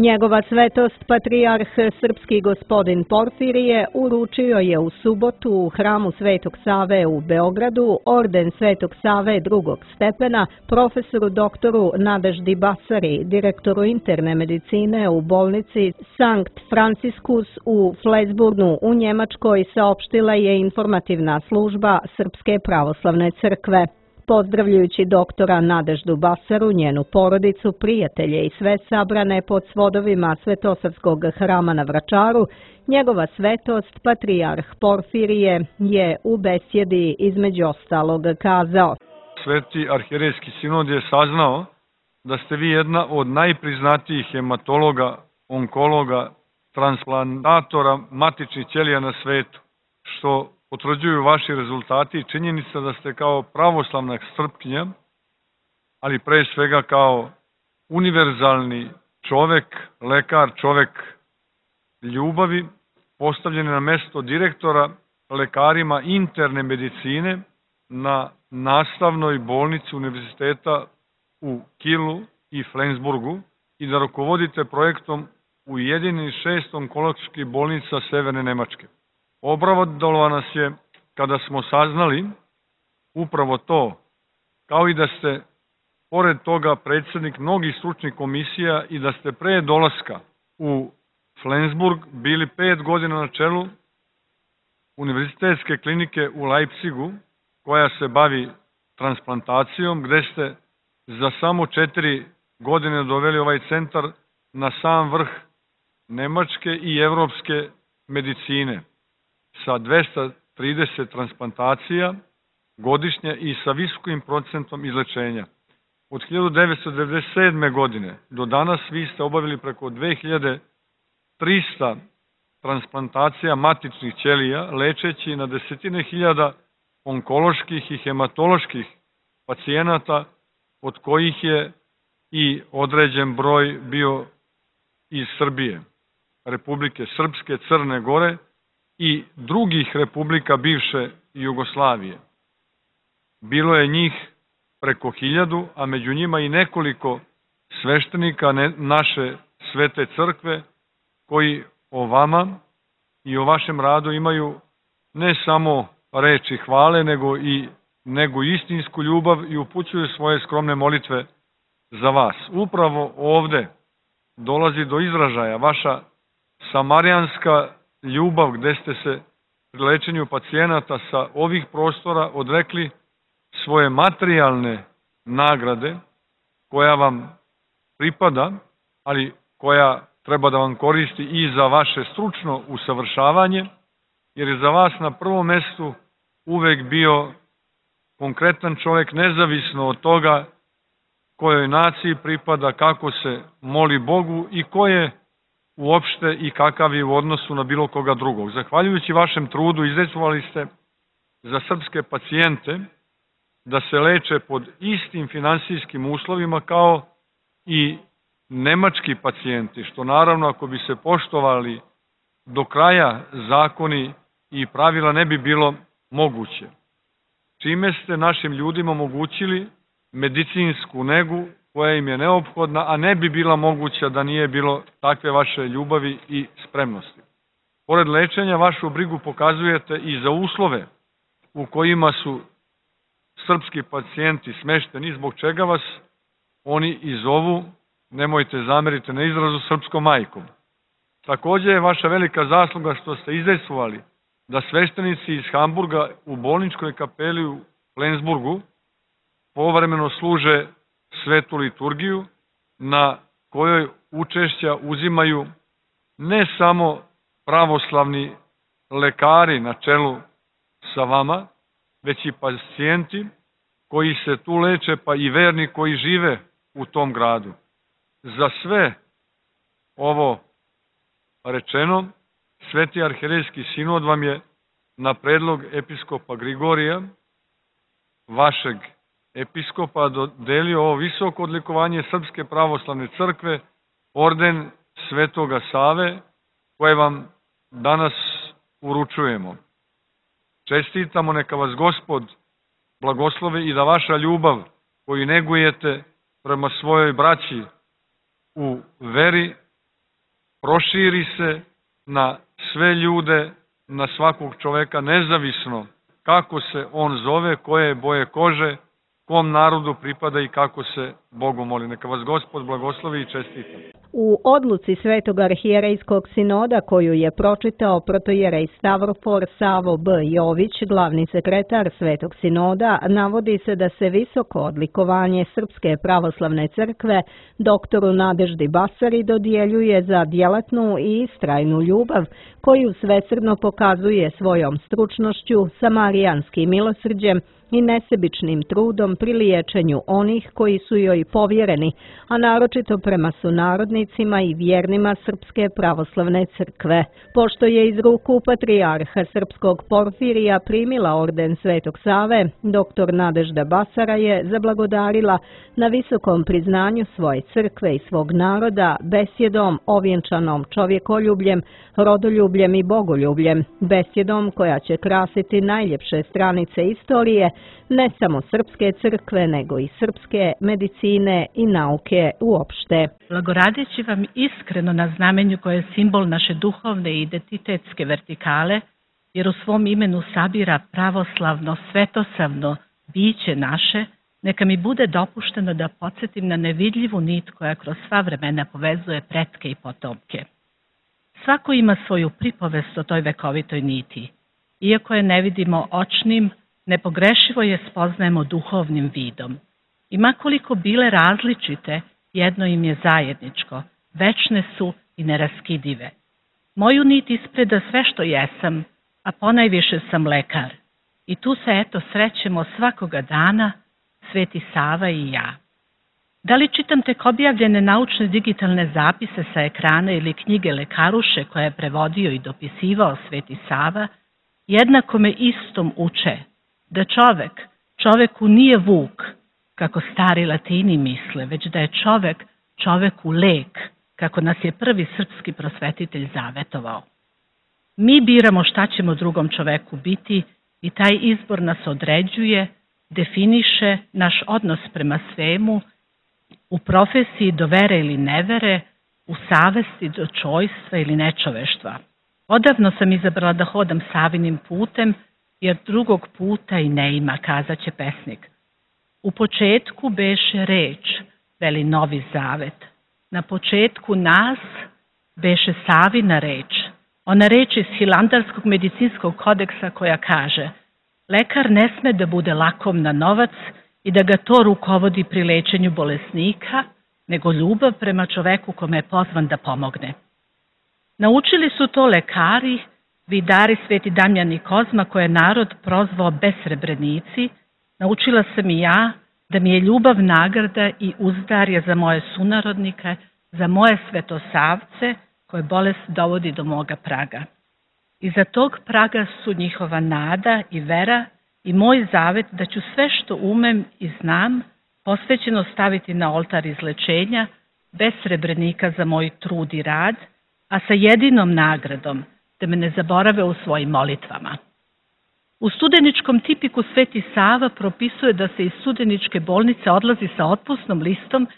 Njegova svetost patrijarh srpski gospodin Porfirije uručio je u subotu u hramu Svetog Save u Beogradu orden Svetog Save drugog stepena profesoru doktoru Nadeždi Basari, direktoru interne medicine u bolnici Sankt Franciscus u Flensburgu u Njemačkoj, saopštila je informativna služba Srpske pravoslavne crkve. Pozdravljajući doktora Nadeždu Basaru, njenu porodicu, prijatelje i sve sabrane pod svodovima Svetosavskog hrama na Vračaru, njegova svetost, patrijarh Porfirije, je u besjedi između ostalog kazao: Sveti arhijerejski sinod je saznao da ste vi jedna od najpriznatijih hematologa, onkologa, transplantatora matičnih ćelija na svetu, što potvrđuju vaši rezultati i činjenica da ste kao pravoslavna Srpkinja, ali pre svega kao univerzalni čovek, lekar, čovek ljubavi, postavljeni na mesto direktora lekarima interne medicine na nastavnoj bolnici univerziteta u Kielu i Flensburgu i da rukovodite projektom Ujedinjenih 6 onkoloških bolnica Severne Nemačke. Obradovalo nas je kada smo saznali upravo to, kao i da ste pored toga predsjednik mnogih stručnih komisija i da ste pre dolaska u Flensburg bili 5 godina na čelu univerzitetske klinike u Leipzigu koja se bavi transplantacijom, gde ste za samo 4 godine doveli ovaj centar na sam vrh nemačke i evropske medicine, sa 230 transplantacija godišnje i sa visokim procentom izlečenja. Od 1997. godine do danas vi ste obavili preko 2300 transplantacija matičnih ćelija, lečeći na desetine hiljada onkoloških i hematoloških pacijenata, od kojih je i određen broj bio iz Srbije, Republike Srpske, Crne Gore i drugih republika bivše Jugoslavije. Bilo je njih preko 1000, a među njima i nekoliko sveštenika naše svete crkve koji o vama i o vašem radu imaju ne samo reči hvale, nego istinsku ljubav i upućuju svoje skromne molitve za vas. Upravo ovde dolazi do izražaja vaša samarijanska ljubav, gde ste se pri lečenju pacijenata sa ovih prostora odrekli svoje materijalne nagrade koja vam pripada, ali koja treba da vam koristi i za vaše stručno usavršavanje, jer je za vas na prvom mestu uvek bio konkretan čovjek, nezavisno od toga kojoj naciji pripada, kako se moli Bogu i ko je uopšte i kakav je u odnosu na bilo koga drugog. Zahvaljujući vašem trudu izdejstvovali ste za srpske pacijente da se leče pod istim finansijskim uslovima kao i nemački pacijenti, što naravno ako bi se poštovali do kraja zakoni i pravila ne bi bilo moguće. Čime ste našim ljudima omogućili medicinsku negu koja im je neophodna, a ne bi bila moguća da nije bilo takve vaše ljubavi i spremnosti. Pored lečenja, vašu brigu pokazujete i za uslove u kojima su srpski pacijenti smešteni, zbog čega vas oni i zovu, nemojte zameriti na izrazu, srpskom majkom. Takođe je vaša velika zasluga što ste izdejstvovali da sveštenici iz Hamburga u bolničkoj kapeli u Flensburgu povremeno služe svetu liturgiju, na kojoj učešća uzimaju ne samo pravoslavni lekari na čelu sa vama, već i pacijenti koji se tu leče, pa i verni koji žive u tom gradu. Za sve ovo rečeno, Sveti arhijerejski sinod vam je na predlog episkopa Grigorija, vašeg episkopa, dodelio ovo visoko odlikovanje Srpske pravoslavne crkve, orden Svetoga Save, koje vam danas uručujemo. Čestitamo, neka vas Gospod blagoslove i da vaša ljubav koju negujete prema svojoj braći u veri proširi se na sve ljude, na svakog čoveka, nezavisno kako se on zove, koje je boje kože, kom narodu pripada i kako se Bogu moli. Neka vas Gospod blagoslovi i čestita. U odluci Svetog arhijerejskog sinoda koju je pročitao protojerej Stavrofor Savo B. Jović, glavni sekretar Svetog sinoda, navodi se da se visoko odlikovanje Srpske pravoslavne crkve doktoru Nadeždi Basari dodjeljuje za djelatnu i istrajnu ljubav koju svesrdno pokazuje svojom stručnošću, samarijanskim milosrđem i nesebičnim trudom pri liječenju onih koji su joj povjereni, a naročito prema sunarodnicima i vjernima Srpske pravoslavne crkve. Pošto je iz ruku patrijarha Srpskog Porfirija primila orden Svetog Save, doktor Nadežda Basara je zablagodarila na visokom priznanju svoje crkve i svog naroda besjedom ovjenčanom čovjekoljubljem, rodoljubljem i bogoljubljem, besjedom koja će krasiti najljepše stranice istorije ne samo Srpske crkve, nego i srpske medicine i nauke uopšte. Blagoradeći vam iskreno na znamenju koje je simbol naše duhovne i identitetske vertikale, jer u svom imenu sabira pravoslavno, svetosavno biće naše, neka mi bude dopušteno da podsjetim na nevidljivu nit koja kroz sva vremena povezuje pretke i potomke. Svako ima svoju pripovest o toj vekovitoj niti. Iako je ne vidimo očnim, nepogrešivo je spoznajemo duhovnim vidom. I makoliko bile različite, jedno im je zajedničko, večne su i neraskidive. Moju nit ispreda sve što jesam, a ponajviše sam lekar. I tu se eto srećemo svakoga dana, Sveti Sava i ja. Da li čitam tek objavljene naučne digitalne zapise sa ekrana ili knjige Lekaruše koje je prevodio i dopisivao Sveti Sava, jednako me istom uče da čoveku nije vuk, kako stari Latini misle, već da je čoveku lek, kako nas je prvi srpski prosvetitelj zavetovao. Mi biramo šta ćemo drugom čoveku biti i taj izbor nas određuje, definiše naš odnos prema svemu, u profesiji do vere ili nevere, u savesti do čojstva ili nečoveštva. Odavno sam izabrala da hodam Savinim putem, jer drugog puta i ne ima, kazaće pesnik. U početku beše reč, veli Novi Zavet. Na početku nas beše Savina reč. Ona reč iz Hilandarskog medicinskog kodeksa koja kaže: lekar ne sme da bude lakom na novac i da ga to rukovodi pri lečenju bolesnika, nego ljubav prema čoveku kome je pozvan da pomogne. Naučili su to lekari, vidari Sveti Damjan i Kozma, koje je narod prozvao besrebrenici. Naučila sam i ja da mi je ljubav nagrada i uzdarje za moje sunarodnike, za moje svetosavce koje bolest dovodi do moga praga. Iza tog praga su njihova nada i vera i moj zavet da ću sve što umem i znam posvećeno staviti na oltar izlečenja, bez srebrenika za moj trud i rad, a sa jedinom nagradom da me ne zaborave u svojim molitvama. U studeničkom tipiku Sveti Sava propisuje da se iz studeničke bolnice odlazi sa otpusnom listom,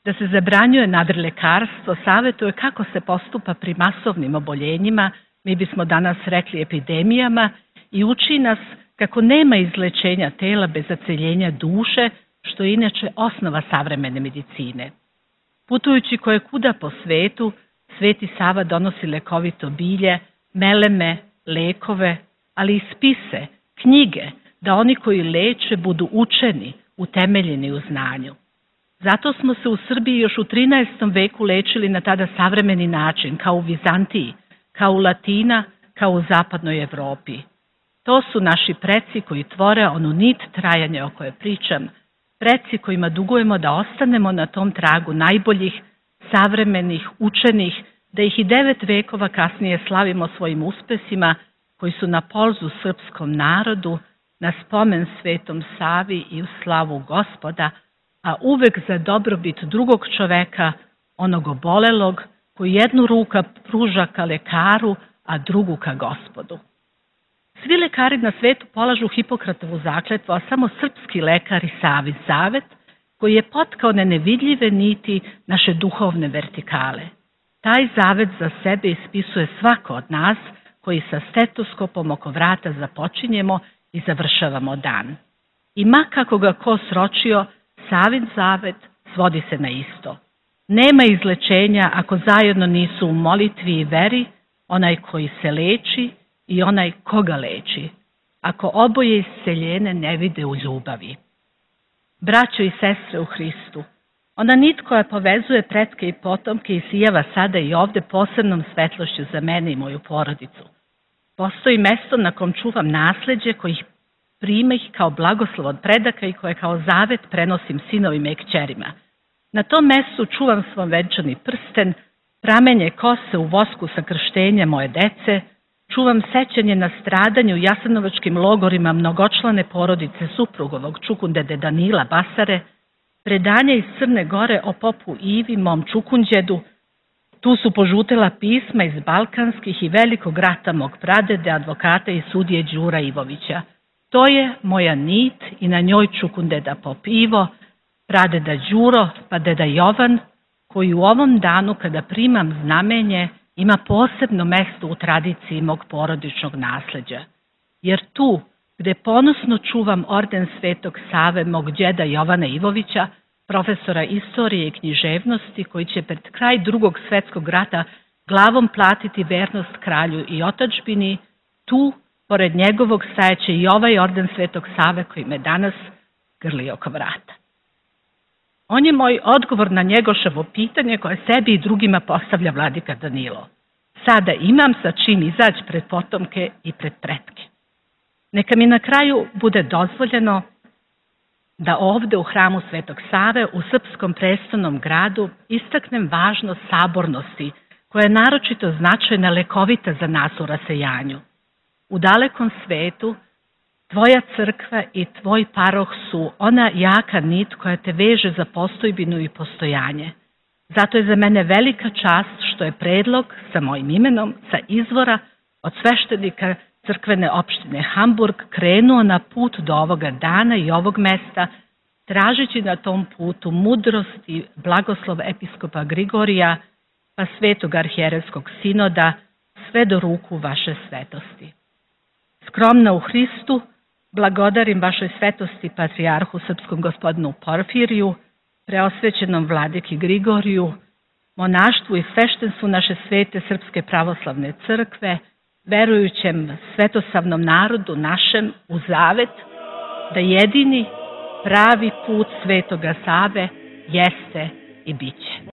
da se zabranjuje nadrilekarstvo, savetuje kako se postupa pri masovnim oboljenjima, mi bismo danas rekli epidemijama, i uči nas kako nema izlečenja tela bez zaceljenja duše, što je inače osnova savremene medicine. Putujući koje kuda po svetu, Sveti Sava donosi lekovito bilje, meleme, lekove, ali i spise, knjige, da oni koji leče budu učeni, utemeljeni u znanju. Zato smo se u Srbiji još u 13. veku lečili na tada savremeni način, kao u Vizantiji, kao u Latina, kao u zapadnoj Evropi. To su naši preci koji tvore onu nit trajanja o kojoj pričam, preci kojima dugujemo da ostanemo na tom tragu najboljih, savremenih, učenih, da ih i 9 vekova kasnije slavimo svojim uspesima koji su na polzu srpskom narodu, na spomen Svetom Savi i u slavu Gospoda, a uvek za dobrobit drugog čoveka, onog obolelog, koji jednu ruku pruža ka lekaru, a drugu ka Gospodu. Svi lekari na svetu polažu Hipokratovu zakletvu, a samo srpski lekar i Savin zavet, koji je potkao na nevidljive niti naše duhovne vertikale. Taj zavet za sebe ispisuje svako od nas koji sa stetoskopom oko vrata započinjemo i završavamo dan. I ma kako ga ko sročio, Savin zavet svodi se na isto. Nema izlečenja ako zajedno nisu u molitvi i veri onaj koji se leči i onaj koga leči, ako oboje isceljene ne vide u ljubavi. Braćo i sestre u Hristu, ona nit koja povezuje pretke i potomke isijava sada i ovde posebnom svetlošću za mene i moju porodicu. Postoji mesto na kom čuvam nasleđe kojih prime ih kao blagoslov od predaka i koje kao zavet prenosim sinovima i kćerima. Na tom mestu čuvam svom venčani prsten, pramenje kose u vosku sa krštenja moje dece, čuvam sećanje na stradanju u jasenovačkim logorima mnogočlane porodice suprugovog čukundede Danila Basare, predanje iz Crne Gore o popu Ivi, mom čukunđedu. Tu su požutela pisma iz balkanskih i velikog rata mog pradede, advokata i sudije Đura Ivovića. To je moja nit i na njoj čukundeda pop Ivo, pradeda Đuro, pa deda Jovan, koji u ovom danu kada primam znamenje ima posebno mesto u tradiciji mog porodičnog nasleđa. Jer tu, gde ponosno čuvam orden Svetog Save mog đeda Jovana Ivovića, profesora istorije i književnosti, koji će pred kraj Drugog svetskog rata glavom platiti vernost kralju i otadžbini, tu, pored njegovog, stajaće i ovaj orden Svetog Save koji me danas grli oko vrata. On je moj odgovor na Njegoševo pitanje koje sebi i drugima postavlja vladika Danilo. Sada imam sa čim izaći pred potomke i pred pretke. Neka mi na kraju bude dozvoljeno da ovde u hramu Svetog Save u srpskom prestolnom gradu istaknem važnost sabornosti koja je naročito značajna lekovita za nas u rasejanju. U dalekom svetu tvoja crkva i tvoj paroh su ona jaka nit koja te veže za postojbinu i postojanje. Zato je za mene velika čast što je predlog sa mojim imenom, sa izvora od sveštenika crkvene opštine Hamburg krenuo na put do ovoga dana i ovog mesta, tražeći na tom putu mudrost i blagoslov episkopa Grigorija, pa svetog arhijerejskog sinoda, sve do ruku vaše svetosti. Skromna u Hristu, blagodarim vašoj svetosti patrijarhu srpskom gospodinu Porfiriju, preosvećenom vladiki Grigoriju, monaštvu i sveštenstvu naše svete Srpske pravoslavne crkve, verujućem svetosavnom narodu našem u zavet da jedini pravi put Svetoga Save jeste i biće.